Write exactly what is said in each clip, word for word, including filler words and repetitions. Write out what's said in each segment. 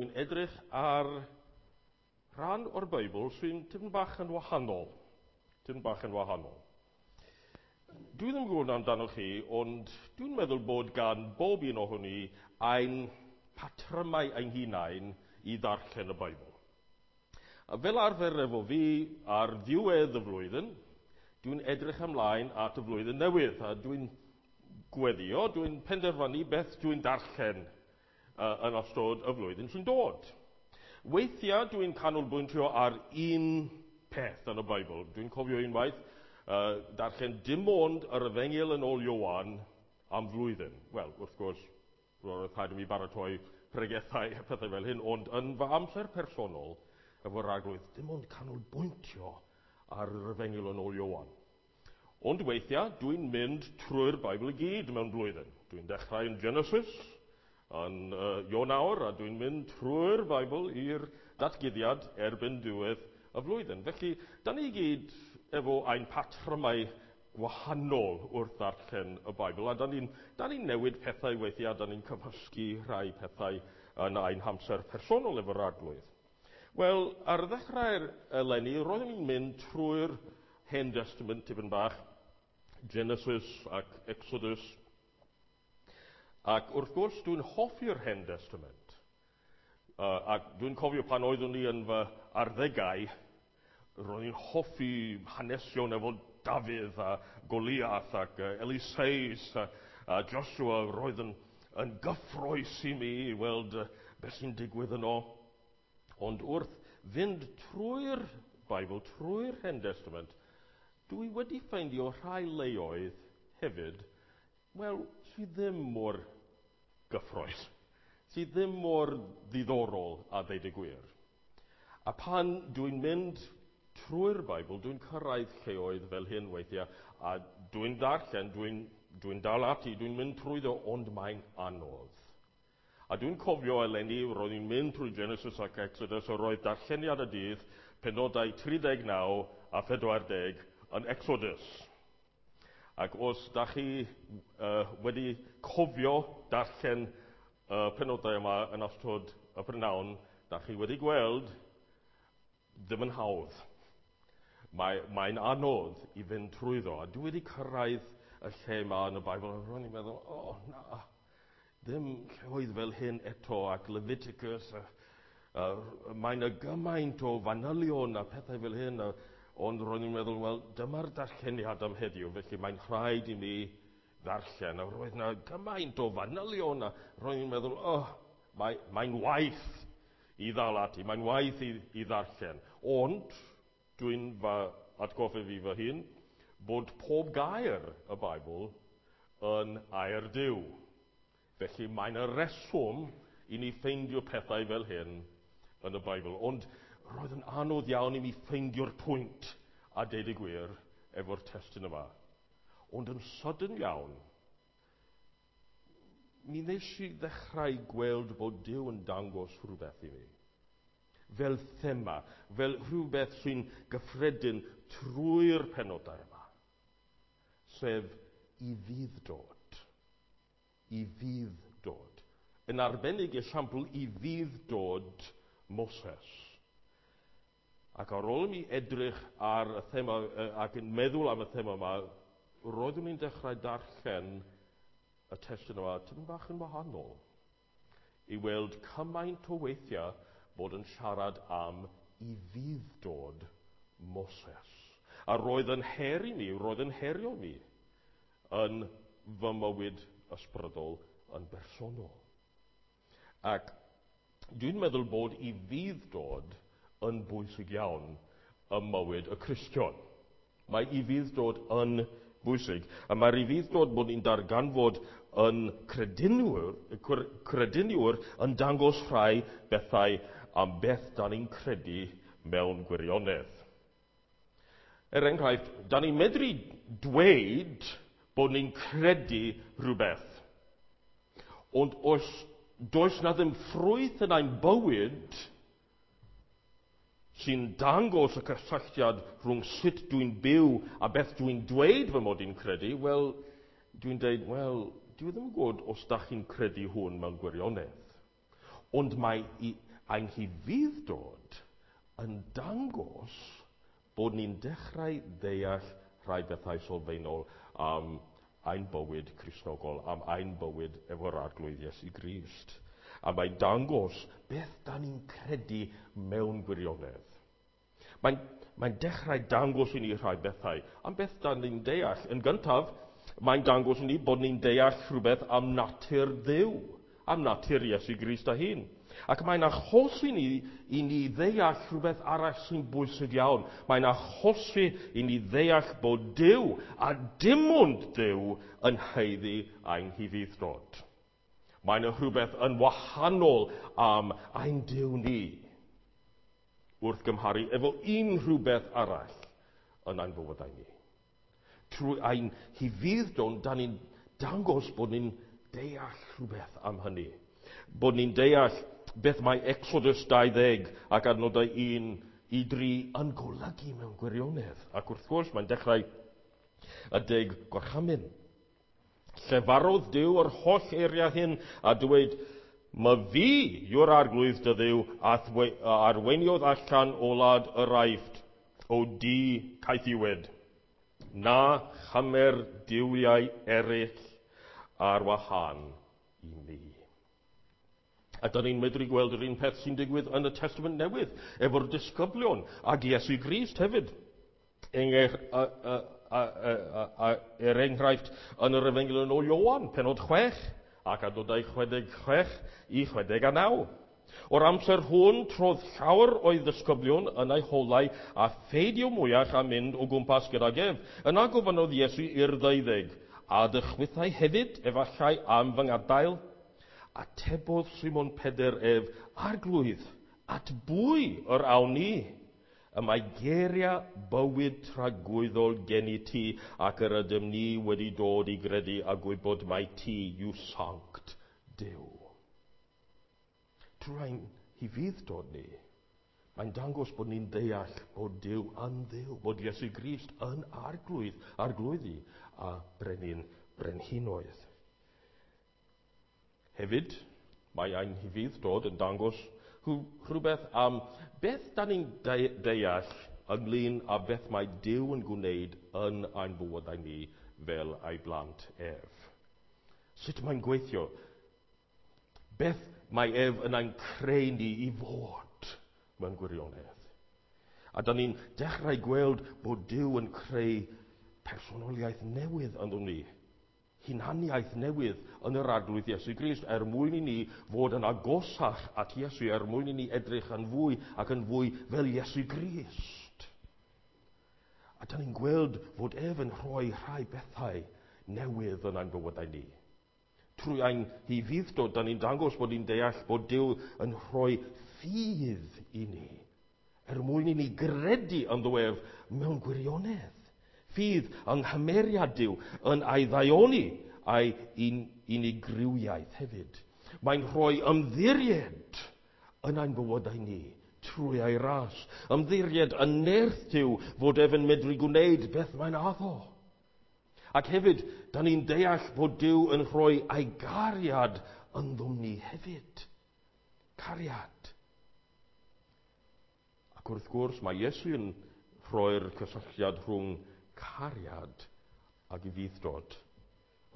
Ni'n edrych ar rhan o'r Beibl sy'n tipyn bach yn wahanol. Tipyn bach yn wahanol. Dwi ddim yn gwybod amdano chi, ond dwi'n meddwl bod gan bob un ohoni ein patrymau ein hunain i ddarllen y Beibl. A fel arfer efo fi, ar ddiwedd y flwyddyn, dwi'n edrych ymlaen at y flwyddyn newydd, a dwi'n gweddio, dwi'n penderfynu beth dwi'n darllen uh, yn ystod y flwyddyn sy'n dod. Weithiau dwi'n canolbwyntio ar un peth yn y Beibl. Dwi'n cofio unwaith uh, darllen dim ond yr Efengyl yn ôl Ioan am flwyddyn. Wel, wrth gwrs, roedd rhaid i mi baratoi pregethau a pethau fel hyn, ond yn fy amser personol, efo'r Arglwydd, dim ond canolbwyntio ar yr Efengyl yn ôl Ioan. Ond weithiau, dwi'n mynd trwy'r Beibl i gyd mewn blwyddyn. Dwi'n dechrau yn Genesis, yn uh, Ionawr, a dwi'n mynd trwy'r Beibl i'r datguddiad erbyn diwedd y flwyddyn. Felly, da ni gyd efo ein patrymau gwahanol wrth ddarllen y Beibl, a da ni'n ni newid pethau weithiau, da ni'n cymysgu rhai pethau yn ein hamser personol efo'r Arglwydd. Wel, ar ddechrau'r eleni, roeddwn i'n mynd trwy'r Hen Testament tipyn bach, Genesis ac Exodus, ac wrth gwrs dwi'n hoffi'r Hen Testament. Uh, ac dwi'n cofio pan oeddwn i yn fy arddegau, roedd i'n hoffi hanesion efo Dafydd a Goliath ac uh, Eliseus a, a Joshua. Roedd yn, yn gyffrous i mi i weld uh, beth sy'n digwydd yno. Ond wrth fynd trwy'r Beibl, trwy'r Hen Testament, dwi wedi ffeindio rhai leoedd hefyd, wel, sydd ddim mor gyffrous, sydd ddim mor ddiddorol a ddeud y gwir. A pan dwi'n mynd trwy'r Beibl, dwi'n cyrraedd lleoedd fel hyn weithiau, a dwi'n darllen, dwi'n dwi dal ati, dwi'n mynd trwyddo, ond mae'n anodd. A dwi'n cofio eleni, roedd i'n mynd trwy Genesis ac Exodus, a roedd darlleniad y dydd, penodau tri deg naw a phedwar deg yn Exodus. Ac os da chi uh, wedi cofio darllen y uh, penodau yma yn ystod y prynhawn, da chi wedi gweld ddim yn hawdd. Mae, mae'n anodd i fynd trwyddo. A dwi wedi cyrraedd y lle yma yn y Beibl, a ro'n i'n meddwl, o, oh, na, ddim lleoedd fel hyn eto, ac Leviticus, a, a, mae'n y gymaint o fanylion a pethau fel hyn, a, ond ro'n i'n meddwl, wel, dyma'r darlleniad am heddiw, felly mae'n rhaid i mi ddarllen. A roedd yna gymaint o fanylion, a ro'n i'n meddwl, oh, mae, mae'n waith i ddal ati, mae'n waith i, i ddarllen. Ond, dwi'n fy atgoffa fi fy hun, bod pob gair y Beibl yn air Duw. Felly mae'n y reswm i ni ffeindio pethau fel hyn yn y Beibl. Ond roedd yn anodd iawn i mi ffeindio'r pwynt a deud y gwir efo'r testun yma. Ond yn sydyn iawn, mi wnes i ddechrau gweld bod Duw yn dangos rhywbeth i mi. Fel thema, fel rhywbeth sy'n gyffredin trwy'r penodau yma. Sef i fudd-dod. I fudd-dod. Yn arbennig esiampl i fudd-dod Moses. Ac ar ôl i mi edrych ar y thema ac yn meddwl am y thema yma, roeddwn i'n dechrau darllen y testun yma tipyn bach yn wahanol i weld cymaint o weithiau bod yn siarad am i fudd-dod Moses. A roedd yn her i mi, roedd yn herio mi yn fy mywyd ysbrydol yn bersonol. Ac dwi'n meddwl bod i fudd-dod yn bwysig iawn ym mywyd y Cristion. Mae i fudd-dod yn bwysig. A mae'r i fudd-dod bod ni'n darganfod yn crediniwr, crediniwr yn dangos rhai bethau am beth da ni'n credu mewn gwirionedd. Er enghraifft, da ni'n medru dweud bod ni'n credu rhywbeth. Ond os does na ddim ffrwyth yn ein bywyd sy'n dangos y cysylltiad rhwng sut dwi'n byw a beth dwi'n dweud fy mod i'n credu, wel, dwi'n dweud, wel, dwi ddim yn gwybod os da chi'n credu hwn mewn gwirionedd. Ond mae i, ein hufudd-dod yn dangos bod ni'n dechrau ddeall rhai bethau sylfaenol am ein bywyd Cristnogol, am ein bywyd efo'r Arglwydd Iesu Grist. A mae'n dangos beth da ni'n credu mewn gwirionedd. Mae'n, mae'n dechrau dangos i ni rhai bethau am beth da ni'n deall. Yn gyntaf, mae'n dangos i ni bod ni'n deall rhywbeth am natur Dduw, am natur Iesu Grist ei hun. Ac mae'n achosi ni i ni ddeall rhywbeth arall sy'n bwysig iawn. Mae'n achosi i ni ddeall bod Duw, a dim ond Duw, yn haeddu ein hufudd-dod. Mae'n rhywbeth yn wahanol am ein Duw ni wrth gymharu efo unrhyw beth arall yn ein bywydau ni. Trwy ein hufudd-dod, da ni'n dangos bod ni'n deall rhywbeth am hynny. Bod ni'n deall beth mae Exodus dau ddeg ac adnodau un i dri yn golygu mewn gwirionedd. Ac wrth gwrs, mae'n dechrau y deg gorchymyn. Llefarodd Duw yr holl eiriau hyn a dweud, "Myfi yw'r Arglwydd dy Dduw a arweiniodd allan o wlad yr Aifft, o dŷ caethiwed. Na chymer duwiau eraill ar wahân i mi." A da ni'n medru gweld yr un peth sy'n digwydd yn y Testament Newydd, efo'r disgyblion ac Iesu Grist hefyd. Er, a, a, a, a, a, er enghraifft, yn yr Efengyl yn ôl Ioan, pennod chwech, ac adnodau chwe deg chwech i chwe deg a naw. O'r amser hwn, trodd llawer o'i ddisgyblion yn ei holau a pheidio mwyach a mynd o gwmpas gydag ef. Yna gofynnodd Iesu i'r ddeuddeg, "A ydych chwithau hefyd, efallai, am fy ngadael?" Atebodd Simon Pedr ef, "Arglwydd, at bwy yr awn ni? Y mae geiriau bywyd tragwyddol gennyt ti, ac yr ydym ni wedi dod i gredu a gwybod mai ti yw Sanct Duw." Trwy ein hufudd-dod ni, mae'n dangos bod ni'n deall bod Duw yn Dduw, bod Iesu Grist yn Arglwydd, Arglwyddi a Brenin Brenhinoedd. Hefyd, mae ein hufudd-dod yn dangos rhywbeth am beth da ni'n deall ynglyn â beth mae Duw yn gwneud yn ein bywydau ni fel ei blant ef. Sut mae'n gweithio? Beth mae ef yn ein creu ni i fod mewn gwirionedd? A da ni'n dechrau gweld bod Duw yn creu personoliaeth newydd ynddo ni. Hunaniaeth newydd yn yr Arglwydd Iesu Grist, er mwyn i ni fod yn agosach at Iesu, er mwyn i ni edrych yn fwy ac yn fwy fel Iesu Grist. A da ni'n gweld fod ef yn rhoi rhai bethau newydd yn ein bywydau ni. Trwy ein hufudd-dod, da ni'n dangos bod ni'n deall bod Duw yn rhoi ffydd i ni, er mwyn i ni gredu ynddo ef mewn gwirionedd. Ffydd yng nghymeriad Duw, yn ei ddaioni a'i un, unigrywiaeth hefyd. Mae'n rhoi ymddiried yn ein bywydau ni trwy ei ras. Ymddiried yn nerth Duw fod ef yn medru gwneud beth mae'n addo. Ac hefyd, da ni'n deall bod Duw yn rhoi ei gariad ynddom ni hefyd. Cariad. Ac wrth gwrs, mae Iesu yn rhoi'r cysylltiad rhwng cariad ac ufudd-dod.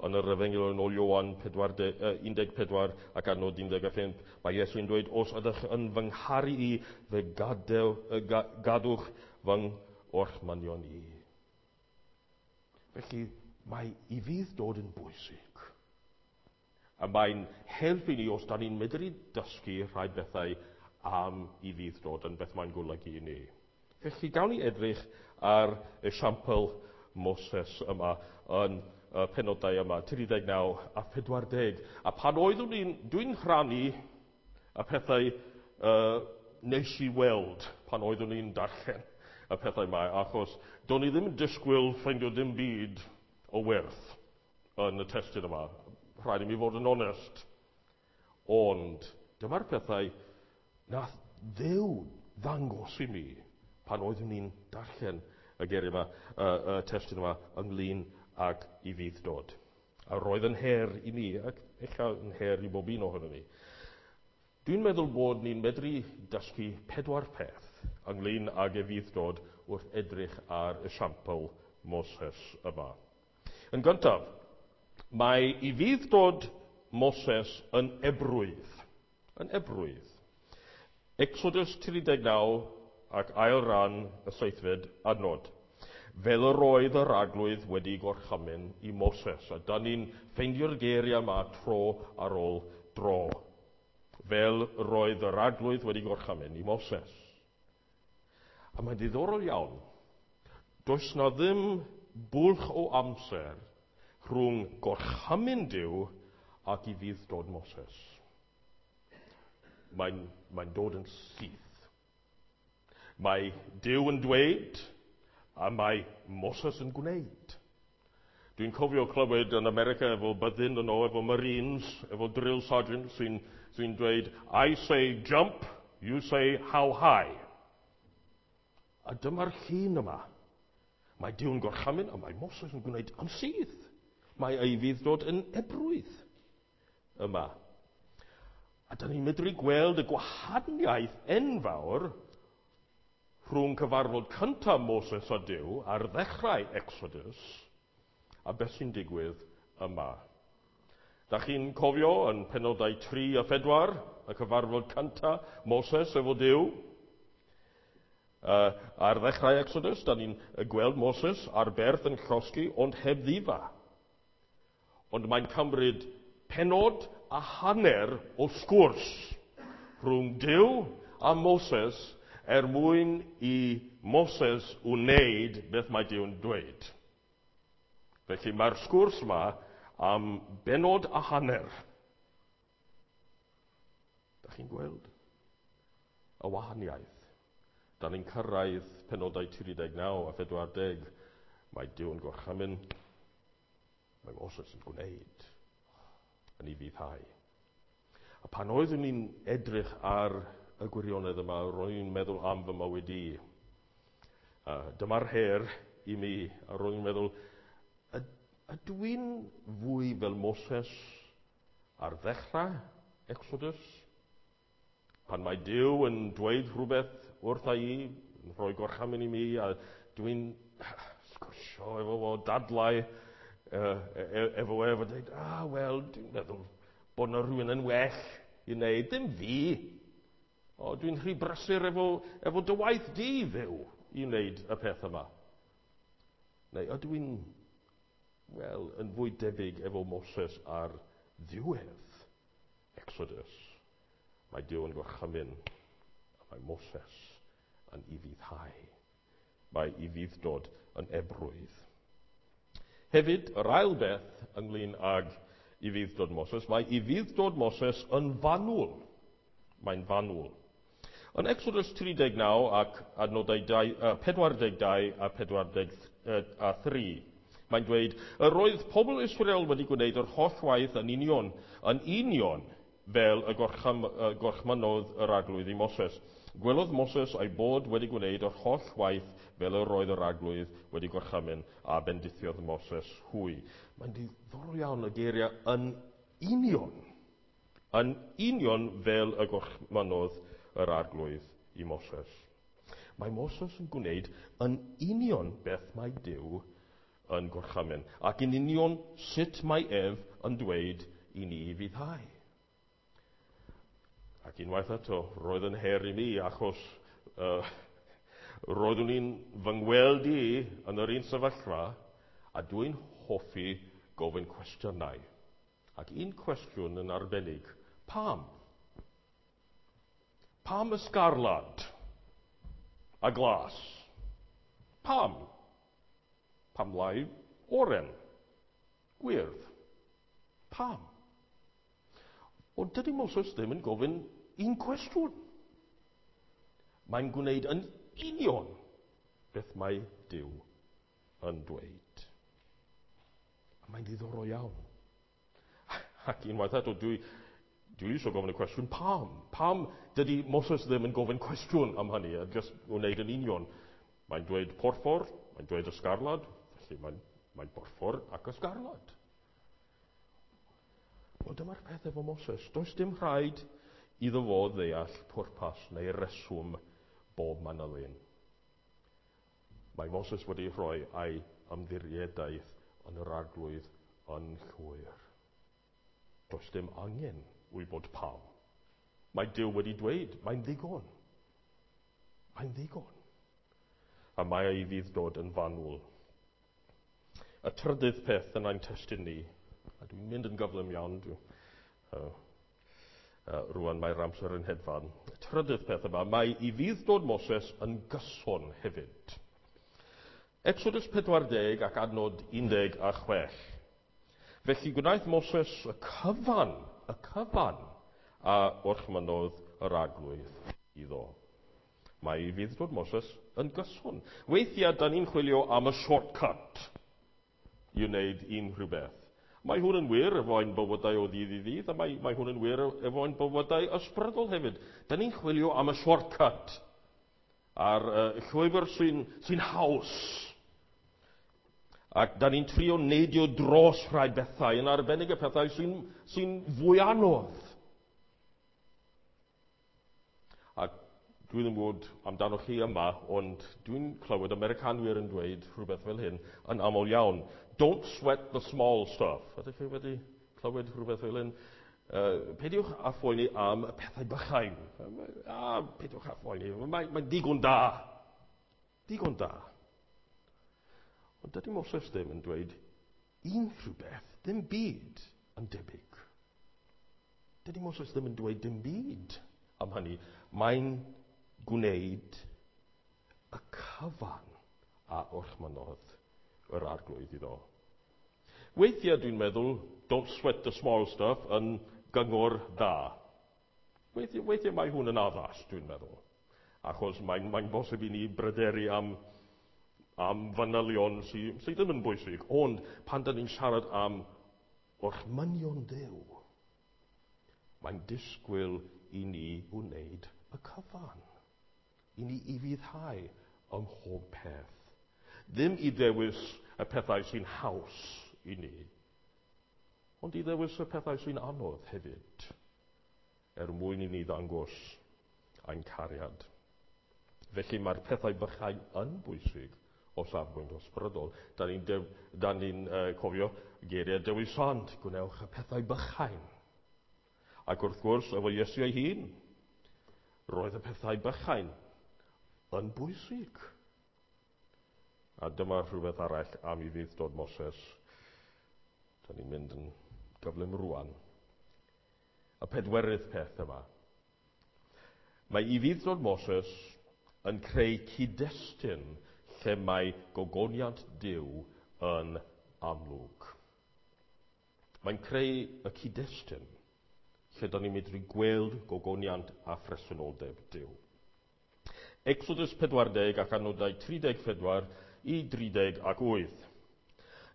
Yn yr Efengyl yn ôl Ioan un deg pedwar ac adnod un deg pump, mae Iesu'n dweud, "Os ydych yn fy ngharu i, fe gadew, gadwch fy ngorchmynion i." Felly, mae ufudd-dod yn bwysig. A mae'n helpu ni os da ni'n medru dysgu rhai bethau am ufudd-dod yn beth mae'n golygu i ni. Felly, gawn ni edrych ar esiampl Moses yma yn y penodau yma, tri deg naw a pedwar deg. A pan oeddwn i'n, dwi'n rhannu y pethau uh, nes i weld pan oeddwn i'n darllen y pethau yma, achos do'n i ddim yn disgwyl ffeindio dim byd o werth yn y testun yma. Rhaid i mi fod yn onest. Ond dyma'r pethau nath Dduw ddangos i mi pan oeddwn i'n darllen y geiriau yma, y, y testun yma, ynglyn ag ufudd-dod. A roedd yn her i mi, ac ella yn her i bob un ohono ni. Dwi'n meddwl bod ni'n medru dysgu pedwar peth ynglyn ag ufudd-dod wrth edrych ar esiampl Moses yma. Yn gyntaf, mae ufudd-dod Moses yn ebrwydd. Yn ebrwydd. Exodus tri deg naw ac ail ran y seithfed adnod. Fel yr oedd yr arglwydd wedi gorchymyn i Moses. A da ni'n ffeindio'r geiriau yma tro ar ôl dro. Fel yr oedd yr arglwydd wedi gorchymyn i Moses. A mae'n ddiddorol iawn. Does na ddim bwlch o amser rhwng gorchymyn Duw ac ufudd-dod Moses. Mae'n, mae'n dod yn syth. Mae Duw yn dweud a mae Moses yn gwneud. Dwi'n cofio clywed yn America efo byddin yno, efo Marines, efo drill sergeant sy'n, sy'n dweud, I say jump, you say how high. A dyma'r llun yma. Mae Duw'n gorchymyn a mae Moses yn gwneud yn syth. Mae ei ufudd-dod yn ebrwydd yma. A da ni'n medru gweld y gwahaniaeth enfawr rhwng cyfarfod cyntaf Moses a Duw ar ddechrau Exodus a beth sy'n digwydd yma. Da chi'n cofio yn penodau tri a phedwar, y cyfarfod cyntaf Moses efo Duw? Uh, ar ddechrau Exodus, da ni'n gweld Moses ar berth yn llosgi, ond heb ddifa. Ond mae'n cymryd penod a hanner o sgwrs rhwng Duw a Moses er mwyn i Moses wneud beth mae Duw'n dweud. Felly mae'r sgwrs yma am benod a hanner. Da chi'n gweld y wahaniaeth? Da ni'n cyrraedd penodau tri deg naw a phedwar deg. Mae Duw'n gorchymyn, mae Moses yn gwneud yn ei fuddhau. A pan oeddwn i'n edrych ar y gwirionedd yma, ro'n i'n meddwl am fy mywyd i. Uh, dyma'r her i mi, a ro'n i'n meddwl, ydw i'n fwy fel Moses ar ddechrau Exodus? Pan mae Duw yn dweud rhywbeth wrtha i, yn rhoi gorchymyn i mi, a dwi'n sgwrsio efo fo, dadlau uh, efo efo, a dweud, ah, wel, dwi'n meddwl bod yna rhywun yn well i wneud, dim fi. O, dwi'n rhy brysur efo, efo dy waith di, Dduw, i wneud y peth yma. Neu ydw i'n, wel, yn fwy debyg efo Moses ar ddiwedd Exodus. Mae Duw yn gorchymyn, a mae Moses yn ufuddhau. Mae ufudd-dod yn ebrwydd. Hefyd, yr ail beth ynglyn ag ufudd-dod Moses, mae ufudd-dod Moses yn fanwl. Mae'n fanwl. Yn Exodus tri deg naw ac adnodau dau, uh, pedwar deg dau a pedwar deg a thri, mae'n dweud, yr oedd pobl Israel wedi gwneud yr holl waith yn union, yn union fel y gorchym, uh, gorchmynodd yr arglwydd i Moses. Gwelodd Moses ei bod wedi gwneud yr holl waith fel yr oedd yr arglwydd wedi gorchymyn, a bendithiodd Moses hwy. Mae'n diddorol iawn y geiriau yn union, yn union fel y gorchmynodd yr arglwydd i Moses. Mae Moses yn gwneud yn union beth mae Duw yn gorchymyn, ac yn union sut mae ef yn dweud i ni fuddhau. Ac unwaith eto, roedd yn her i mi, achos uh, roeddwn i'n fy ngweld i yn yr un sefyllfa, a dwi'n hoffi gofyn cwestiynau. Ac un cwestiwn yn arbennig, pam? Pam y sgarlad a glas? Pam? Pam lai oren? Gwyrdd? Pam? Ond dydy Moses ddim yn gofyn un cwestiwn. Mae'n gwneud yn union beth mae Duw yn dweud. A mae'n ddiddorol iawn. Ac unwaith eto, dwi, dwi eisiau gofyn y cwestiwn, pam? Pam dydy Moses ddim yn gofyn cwestiwn am hynny, a just wneud yn union? Mae'n dweud porffor, mae'n dweud ysgarlad, felly mae'n, mae'n porffor ac ysgarlad. Wel, dyma'r peth efo Moses. Does dim rhaid iddo fo ddeall pwrpas neu reswm bob manylun. Mae Moses wedi rhoi ei ymddiriedaeth yn yr Arglwydd yn llwyr. Does dim angen wybod pam. Mae Duw wedi dweud, mae'n ddigon. Mae'n ddigon. A mae ei ufudd-dod yn fanwl. Y trydydd peth yn ein testun ni, a dwi'n mynd yn gyflym iawn, dwi, uh, uh, rwan mae'r amser yn hedfan. Y trydydd peth yma, mae ufudd-dod Moses yn gyson hefyd. Exodus pedwar deg ac adnod un deg a chwech. Felly gwnaeth Moses y cyfan, y cyfan, a orchmynnodd yr Arglwydd iddo. Mae ufudd-dod Moses yn gyson. Weithiau, da ni'n chwilio am y shortcut i wneud unrhyw beth. Mae hwn yn wir efo ein bywydau o ddydd i ddydd, a mae, mae hwn yn wir efo ein bywydau ysbrydol hefyd. Da ni'n chwilio am y shortcut, a'r uh, llwybr sy'n sy haws. Ac da ni'n trio neidio dros rhai bethau, yn arbennig y pethau sy'n sy fwy anodd. A dwi ddim gwybod amdano chi yma, ond dwi'n clywed Americanwyr yn dweud rhywbeth fel hyn yn aml iawn. Don't sweat the small stuff. Ydych chi wedi clywed rhywbeth fel hyn? Uh, peidiwch â phoeni am y pethau bychain. A, peidiwch â phoeni. Mae'n mae digon da. Digon da. Ond dydy Moses ddim yn dweud unrhyw beth, dim byd yn debyg. Dydy Moses ddim yn dweud dim byd am hynny. Mae'n gwneud y cyfan a orchmynnodd yr Arglwydd iddo. Weithiau dwi'n meddwl, don't sweat the small stuff, yn gyngor da. Weithiau, weithiau mae hwn yn addas, dwi'n meddwl. Achos mae'n mae bosib i ni bryderu am, am fanylion sydd sy ddim yn bwysig. Ond pan da ni'n siarad am orchmynion Duw, mae'n disgwyl i ni wneud y cyfan. I ni ufuddhau ym mhob peth. Ddim i ddewis y pethau sy'n haws i ni, ond i ddewis y pethau sy'n anodd hefyd, er mwyn i ni ddangos ein cariad. Felly mae'r pethau bychain yn bwysig o safbwynt ysbrydol. Da ni'n da ni uh, cofio geiriau Dewi Sant, gwnewch y pethau bychain. Ac wrth gwrs, efo Iesu ei hun, roedd y pethau bychain yn bwysig. A dyma rhywbeth arall am ufudd-dod Moses. Da ni'n mynd yn gyflym rwan. Y pedwerydd peth yma. Mae ufudd-dod Moses yn creu cyd-destun lle mae gogoniant Duw yn amlwg. Mae'n creu y cyd-destun lle da ni'n medru gweld gogoniant a phresenoldeb Duw. Exodus pedwar deg ac adnodau tri deg pedwar i dri deg ac wyth.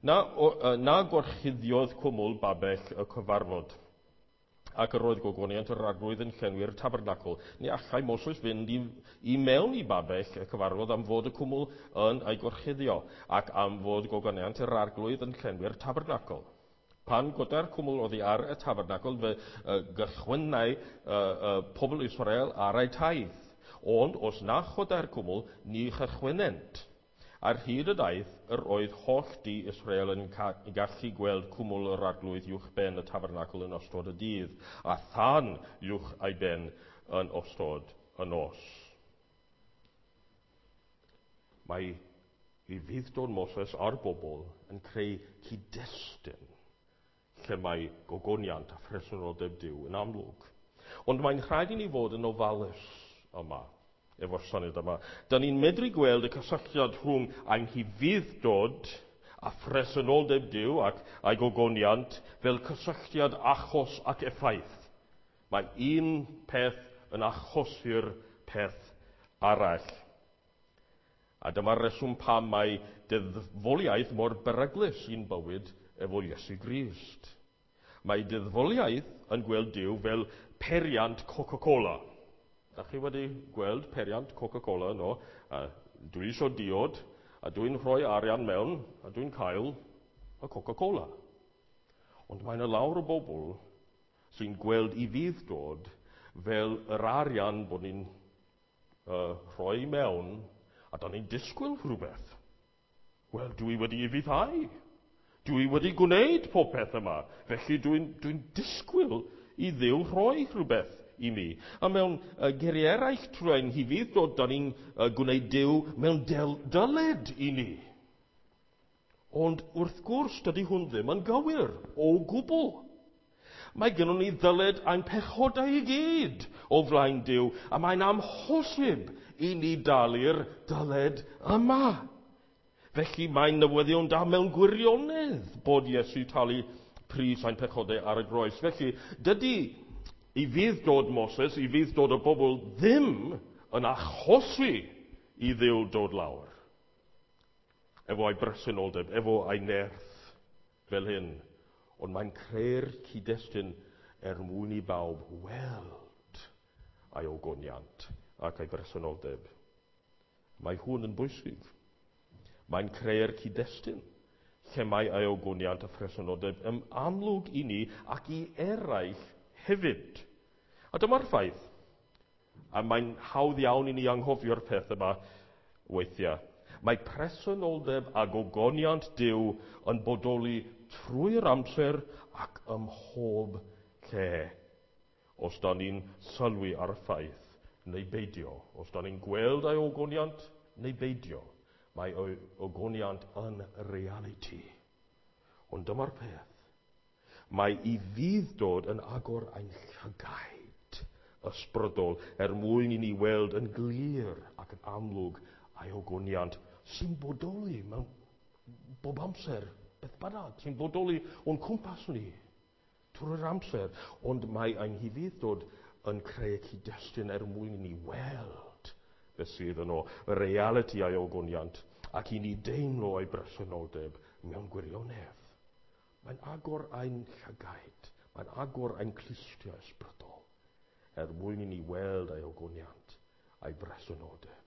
Na, o, na gorchuddiodd cwmwl babell y cyfarfod, ac yr oedd gogoniant yr Arglwydd yn llenwi'r tabernacl. Ni allai Moses fynd i, i mewn i babell y cyfarfod am fod y cwmwl yn ei gorchuddio, ac am fod gogoniant yr Arglwydd yn llenwi'r tabernacl. Pan goda'r cwmwl oddi ar y tabernacl, fe uh, gychwynnai uh, uh, pobl Israel ar eu taith. Ond os na chodai'r cwmwl, ni chychwynnent. Ar hyd y daith, yr oedd holl dŷ Israel yn gallu gweld cwmwl yr Arglwydd uwch ben y tabernacl yn ystod y dydd, a thân uwch ei ben yn ystod y nos. Mae ufudd-dod Moses a'r bobl yn creu cyd-destun lle mae gogoniant a phresenoldeb Duw yn amlwg. Ond mae'n rhaid i ni fod yn ofalus yma, efo'r syniad yma. Da ni'n medru gweld y cysylltiad rhwng ein hufudd-dod a phresenoldeb Duw ac ei gogoniant fel cysylltiad achos ac effaith. Mae un peth yn achosi'r peth arall. A dyma'r reswm pam mae deddfoliaeth mor beryglus i'n bywyd efo Iesu Grist. Mae deddfoliaeth yn gweld Duw fel periant Coca-Cola. Da chi wedi gweld periant Coca-Cola yno? A dwi isio diod, a dwi'n rhoi arian mewn, a dwi'n cael y Coca-Cola. Ond mae yna lawer o bobl sy'n gweld ufudd-dod fel yr arian bod ni'n uh, rhoi mewn a da ni'n disgwyl rhywbeth. Wel, dwi wedi ufuddhau. Dwi wedi gwneud popeth yma. Felly dwi'n dwi disgwyl i Dduw rhoi rhywbeth i mi. A mewn uh, geiriau eraill trwy ein hufudd-dod, da ni'n uh, gwneud Duw mewn del- dyled i ni. Ond wrth gwrs, dydy hwn ddim yn gywir o gwbl. Mae gennym ni ddyled ein pechodau i gyd o flaen Duw, a mae'n amhosib i ni dalu'r dyled yma. Felly mae'n newyddion da mewn gwirionedd bod Iesu talu pris ein pechodau ar y groes. Felly dydy ufudd-dod Moses, ufudd-dod y bobl ddim yn achosi i Dduw dod lawr. Efo ei bresenoldeb, efo ei nerth fel hyn. Ond mae'n creu'r cyd-destun er mwyn i bawb weld ei ogoniant ac ei bresenoldeb. Mae hwn yn bwysig. Mae'n creu'r cyd-destun lle mae ei ogoniant a phresenoldeb yn amlwg i ni ac i eraill hefyd. A dyma'r ffaith. A mae'n hawdd iawn i ni anghofio'r peth yma weithiau. Mae presenoldeb a gogoniant Duw yn bodoli trwy'r amser ac ym mhob lle. Os da ni'n sylwi ar y ffaith neu beidio. Os da ni'n gweld ei ogoniant neu beidio. Mae ei ogoniant yn realiti. Ond dyma'r peth. Mae ufudd-dod yn agor ein llygaid ysbrydol er mwyn i ni weld yn glir ac yn amlwg ei ogoniant sy'n bodoli mewn bob amser, beth bynnag, sy'n bodoli o'n cwmpas ni trwy'r amser. Ond mae ein hufudd-dod yn creu cyd-destun er mwyn i ni weld beth sydd yno, y realiti a'i ogoniant, ac i ni deimlo ei bresenoldeb mewn gwirionedd. Mae'n agor ein llygaid, mae'n agor ein clustiau ysbrydol, er mwyn i ni weld ei ogoniant a'i bresenoldeb.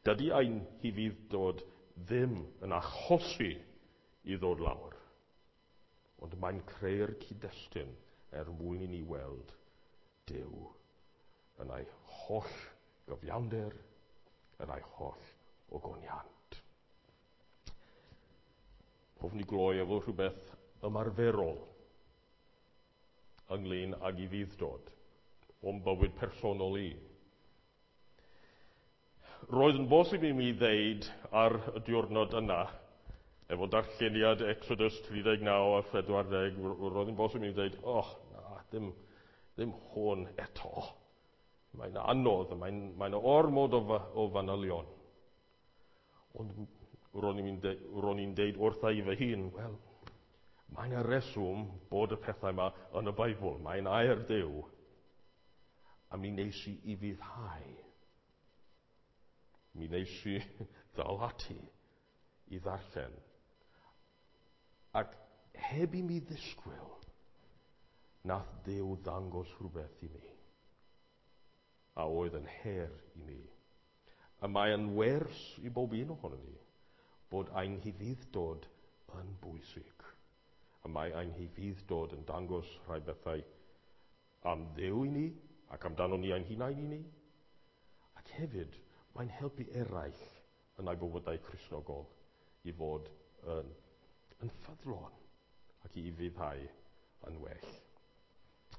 Dydy ein hufudd-dod ddim yn achosi i ddod lawr, ond mae'n creu'r cyd-destun er mwyn i ni weld Duw yn ei holl gyfiawnder, yn ei holl ogoniant. Hoffwn i gloi efo rhywbeth ymarferol ynglyn ag ufudd-dod o'n bywyd personol i. Roedd yn bosib i mi ddeud ar y diwrnod yna, efo darlleniad Exodus tri deg naw a phedwar deg, roedd yn bosib i mi ddeud, oh, na, ddim, ddim hwn eto. Mae'n anodd, mae'n, mae'n ormod o, o fanylion. Ond ro'n i'n de, ro'n i'n deud wrtha i fy hun, wel, mae'n y reswm bod y pethau yma yn y Beibl, mae'n air Duw. A mi wnes i ufuddhau. Mi wnes i ddal ati i ddarllen. Ac heb i mi ddisgwyl, nath Duw ddangos rhywbeth i mi, a oedd yn her i mi. A mae yn wers i bob un ohonon ni, bod ein hufudd-dod yn bwysig. A mae ein hufudd-dod yn dangos rhai bethau am Dduw i ni, ac amdano ni ein hunain i ni. Ac hefyd, mae'n helpu eraill yn eu bywydau Cristnogol i fod yn, yn ffyddlon ac i ufuddhau yn well.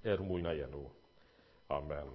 Er mwyn ei enw. Amen.